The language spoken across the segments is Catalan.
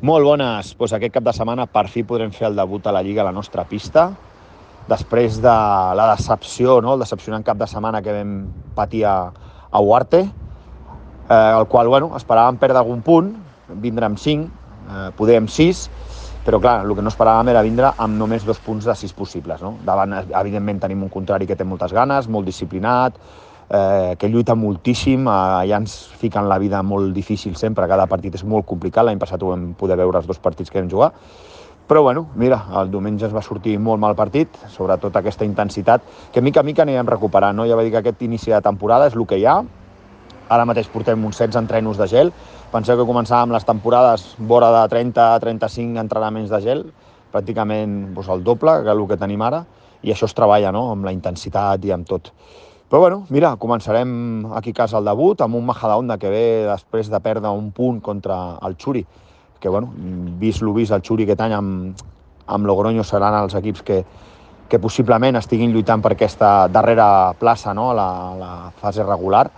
Molt bones. Doncs aquest cap de setmana per fi podrem fer el debut a la Lliga a la nostra pista. Després de la decepció, no? El decepcionant cap de setmana que vam patir a Huarte, el qual esperàvem perdre algun punt, vindre amb 5, poder amb 6, però clar, el que no esperàvem era vindre amb només 2 punts de 6 possibles. No? Davant, evidentment, tenim un contrari que té moltes ganes, molt disciplinat, que lluita moltíssim, ja ens fiquen la vida molt difícil sempre, cada partit és molt complicat, l'any passat ho vam poder veure els 2 partits que vam jugar, però mira, el diumenge ens va sortir molt mal partit, sobretot aquesta intensitat, que mica a mica anirem recuperant, no? Ja va dir que aquest inici de temporada és el que hi ha, ara mateix portem uns 16 entrenos de gel, penseu que començàvem les temporades vora de 30-35 entrenaments de gel, pràcticament el doble que el que tenim ara, i això es treballa, no? Amb la intensitat i amb tot. Però mira, començarem aquí a casa el debut amb un Majadahonda que ve després de perdre un punt contra el Xuri, que vist lo vist el Xuri aquest any amb Logroño seran els equips que possiblement estiguin lluitant per aquesta darrera plaça, no? a la fase regular,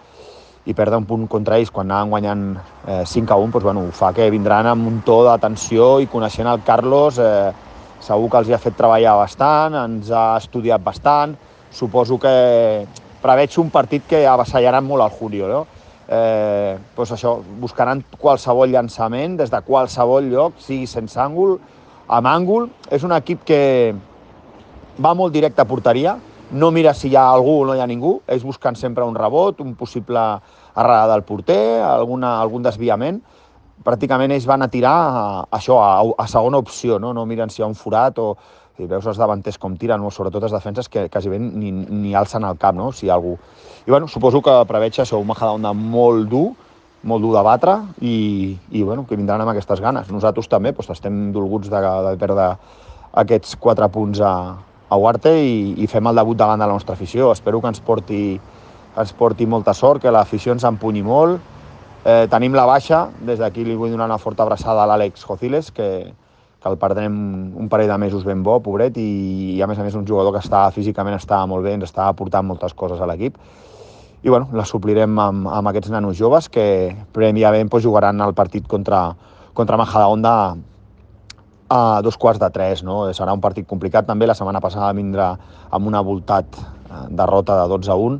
i perdre un punt contra ells quan anaven guanyant 5-1, ho fa que vindran amb un to de tensió, i coneixent el Carlos segur que els ha fet treballar bastant, ens ha estudiat bastant, suposo que preveig un partit que avassallaran molt al Julio, no? Això, buscaran qualsevol llançament des de qualsevol lloc, sigui sense àngul, amb àngul. És un equip que va molt directe a porteria, no mira si hi ha algú o no hi ha ningú, ells buscant sempre un rebot, un possible errada del porter, algun desviament. Pràcticament ells van a tirar a segona opció, no miren si hi ha un forat o... I veus els davanters com tiren, sobretot els defenses que quasi ben ni alcen el cap, no? Si hi ha algú. I suposo que preveig això, un Majadahonda molt dur de batre i que vindran amb aquestes ganes. Nosaltres també estem dolguts de perdre aquests 4 punts a Huarte i fem el debut davant de la nostra afició. Espero que ens porti molta sort, que l'afició ens empunyi molt. Tenim la baixa, des d'aquí li vull donar una forta abraçada a l'Àlex Jociles, que el perdrem un parell de mesos ben bo, pobret, i a més un jugador que físicament estava molt bé, ens està aportant moltes coses a l'equip. I la suplirem amb aquests nanos joves que prèviament jugaran el partit contra Majadahonda a 2:15, no? Serà un partit complicat també. La setmana passada vindrà amb una voltat derrota de 12-1.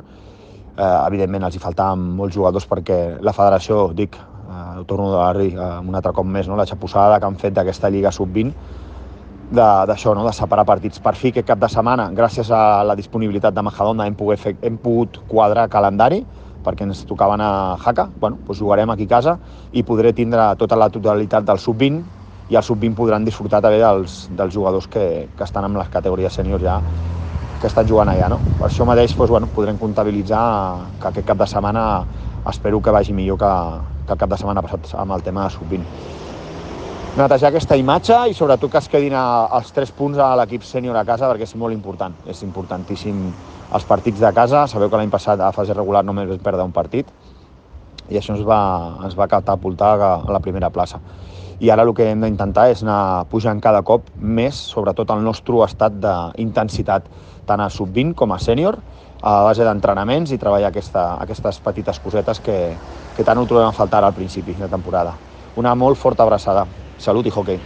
Evidentment els hi faltaven molts jugadors perquè la federació, ho torno a dir un altre cop més, no? La xapussada que han fet d'aquesta Lliga Sub-20, d'això, no? De separar partits. Per fi aquest cap de setmana, gràcies a la disponibilitat de Majadahonda, hem pogut quadrar calendari, perquè ens tocaven a Jaca. Jugarem aquí a casa i podré tindre tota la totalitat del Sub-20, i al Sub-20 podran disfrutar també dels jugadors que estan en les categories sèniors ja, que estan jugant allà, no? Per això mateix podrem comptabilitzar que aquest cap de setmana espero que vagi millor que el cap de setmana passat amb el tema de Sub-20. Netejar aquesta imatge i sobretot que es quedin els 3 punts a l'equip sènior a casa, perquè és molt important, és importantíssim els partits de casa. Sabeu que l'any passat a fase regular només vam perdre un partit i això ens va catapultar a la primera plaça. I ara el que hem d'intentar és anar pujant cada cop més, sobretot el nostre estat d'intensitat, tant a Sub-20 com a sènior, a base d'entrenaments i treballar aquestes petites cosetes que tant ho trobem a faltar al principi de temporada. Una molt forta abraçada. Salut i hoquei.